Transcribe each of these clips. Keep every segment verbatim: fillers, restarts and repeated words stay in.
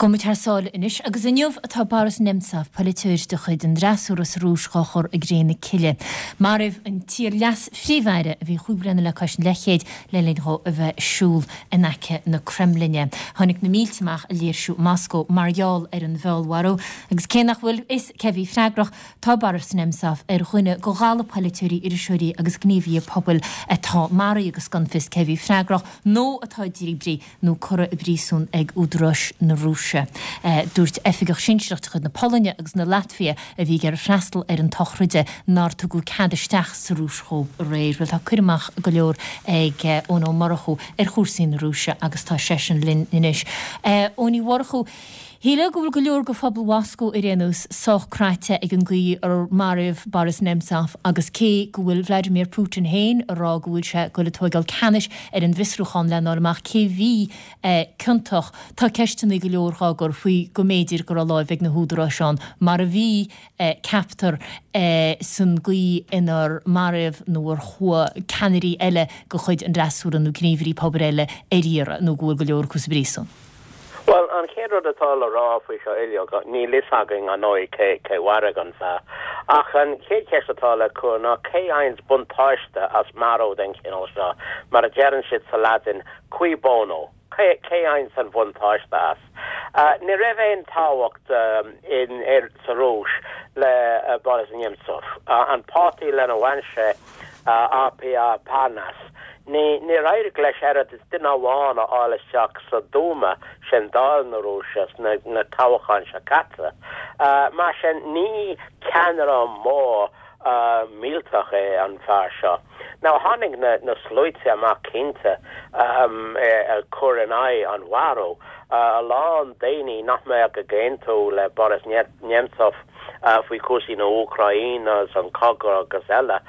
Gabhfaidh muid thar sáile anois, agus inniu atá Boris Nemtsov, polaiteoir de chuid an fhreasúra sa Rúis, dhá chur i gcré na cille. Maraíodh an t-iar-leas-phríomh-aire, a bhí chúig bliana le cois an leathchéid, le linn dhó a bheith ag siúl in aice na Creimlinne. Tháinig na mílte amach ag léirsiú i Moscó mar gheall ar an bhfeallmharú, agus cé nach bhfuil fhios cé bhí freagrach, tá Boris Nemtsov ar dhuine de dhalladh polaiteoirí, iriseoirí agus gníomhaithe pobail atá maraithe agus gan fios cé bhí freagrach, nó atá díbrithe nó curtha i bpríosún ag údaráis na Rúise. Dúirt oifigeach sinsearach de chuid na Polainne agus na Laitvia a bhí ag iarraidh freastal ar an tsochraid nár tugadh cead isteach sa Rúis dhóibh aréir. Bhuel, tá cur amach go leor ag Eoin Ó Murchú ar chúrsaí na Rúise agus tá seisean linn anois. Eoin Uí Mhurchú, shílfeá go bhfuil go leor de phobal Mhoscó ar aon nós sách cráite ag an gcaoi ar maraíodh Boris Nemtsov agus cé go bhfuil Vladimir Putin féin ag rá go bhfuil sé ag dul ag tóigeáil ceannais ar an bhfiosrúchán lena fháil amach cé bhí ciontach, tá ceisteanna go leor dhá gcur faoi go mb'fhéidir go raibh láimh ag na húdaráis ann, mar a bhí, ceaptar, san gcaoi inar maraíodh nó ar chuaigh ceannairí eile de chuid an fhreasúra nó gníomhairí pobail eile ar iarraidh nó go bhfuil go leor acu sa bpríosún. Bhuel, an chéad rud atá le rá faoi seo uilig, níl fhios againn ar ndóigh cé cé mharaigh an fear. Ach an chéad cheist atá le cur ná cé fhaigheanns buntáiste as marú den chineál seo, mar a deireann siad sa Laidin, cui bono? Cé cé fhaigheanns an bhuntáiste as? Ní raibh aon tábhacht in sa Rúis le Boris Nemtsov. An páirtí lena bhain sé, RPR Parnas, Ní, níor éirigh leis oiread is duine amháin a fháil isteach sa Dúma, sin Dáil na Rúise, sna na toghcháin seo caite. Mar sin, ní ceannaire mór millteach é an fear seo. Now, tháinig na na sluaite amach cinnte ag cur in aghaidh an mharú. A lán daoine nach mbeadh ag aontú le Boris Nemtsov faoi chúrsaí na hÚcráine agus an cogadh agus eile,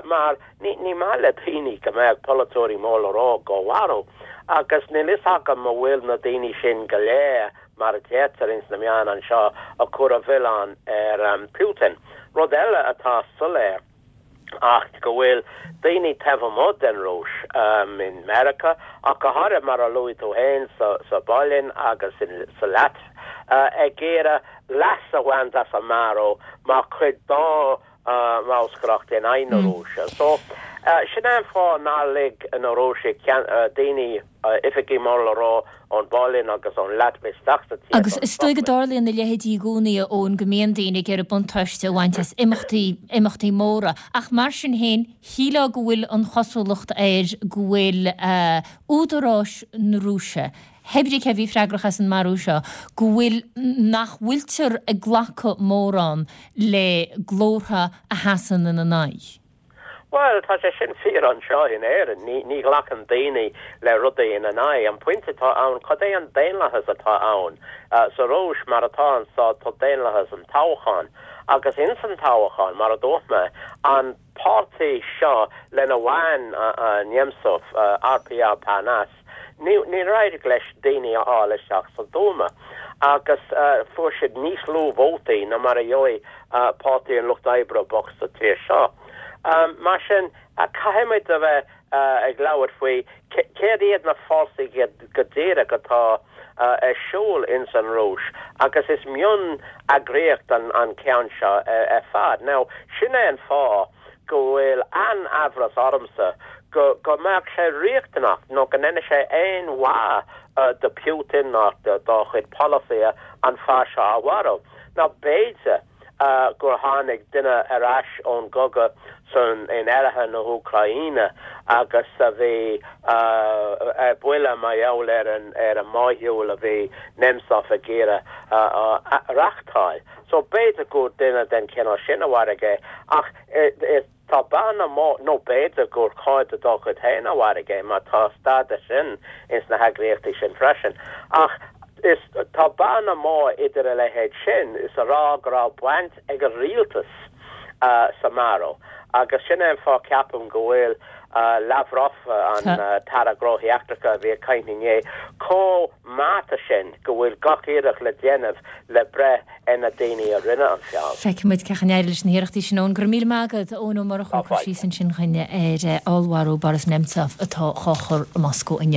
mar Ní maith le daoine go mbeadh polaiteoirí mór le rá dhá mharú, agus níl fhios agam an bhfuil na daoine sin go léir, mar a deirtear ins na meáin anseo, ag cur an mhilleáin ar Putin. Rud eile atá soiléir ach go bhfuil daoine taobh amuigh den Rúis, in Meiriceá ach go háirithe, mar a luaigh tú féin, sa bPolainn agus sa Laitvia, ag iarraidh leas a bhaint as an marú mar chuid dá mbolscaireacht in aghaidh na Rúise. So, sin é an fáth nár lig na Rúisigh daoine, oifigigh mór le rá ón bPolainn agus ón Laitvia isteach sa tír Agus don is dóigh go sochraid. dtarlaíonn a leithéidí i gcónaí, a Eoin, go mbíonn daoine ag iarraidh buntáiste a bhaint as imeachtaí, imeachtaí móra. Ach mar sin féin, shílfeá go bhfuil an chosúlacht air go bhfuil údaráis na Rúise, Pé brí cé bhí freagrach as an marú seo, go bhfuil, nach bhfuiltear ag glacadh mórán le glórtha a sheasann ina n-aghaidh. Bhuel, tá sé sin fíor anseo in Éirinn. Ní, ní ghlacann daoine le rudaí ina n-aghaidh. An pointe atá ann, cad é an daonlathas atá ann? Sa Rúis, mar atá anso, tá daonlathas an toghcháin. Agus ins an toghchán, mar a dúirt mé, an páirtí seo lena bhain Nemtsov, RPR Parnas, Níor éirigh leis daoine a fháil isteach sa Dúma agus fuair siad níos lú vótaí ná mar a gheobhaidh Páirtí an Lucht Oibre bocht sa tír seo. Mar sin, caithfimid a bheith ag labhairt faoi céard iad na fórsaí go díreach atá ar siúl ins an Rúis agus is mion-eagraíocht an ceann seo ar fad. Now, sin é an fáth go bhfuil an-amhras ormsa go go mbeadh sé riachtanach nó go ndéanfaidh sé aon mhaith do Putin ná dá chuid polasaithe an fear seo a mharú. Nó b'fhéidir gur tháinig duine ar ais ón gcogadh san in oirthear na hÚcráine agus a bhí ar buile mar gheall ar an ar an mórshiúl a bhí Nemtsov ag iarraidh a reachtáil. So b'fhéidir gur duine den chineál sin a mharaigh é ach is tá bearna mór, nó b'fhéidir gur cairde dá chuid féin a mharaigh é mar tá staid de sin ins na heagraíochtaí sin freisin. Ach is tá bearna mór idir a leithéid sin is a rá go raibh baint ag an rialtas sa marú agus sin é an fáth ceapaim go bhfuil Lavrov, an tAire Gnóthaí Eachtracha a bhí ag caint inné, chomh meáite sin go bhfuil gach iarracht le déanamh le breith ar na daoine a rinne an feall. Feicfidh muid cén chaoi a n-éireoidh leis na hiarrachtaí sin, Eoin. Go raibh míle maith agat, Eoin Ó Murchú, Tá ag cur fáilte. síos ansin dhúinn ar fheallmharú Boris Nemtsov atá dhá chur i Moscó inniu.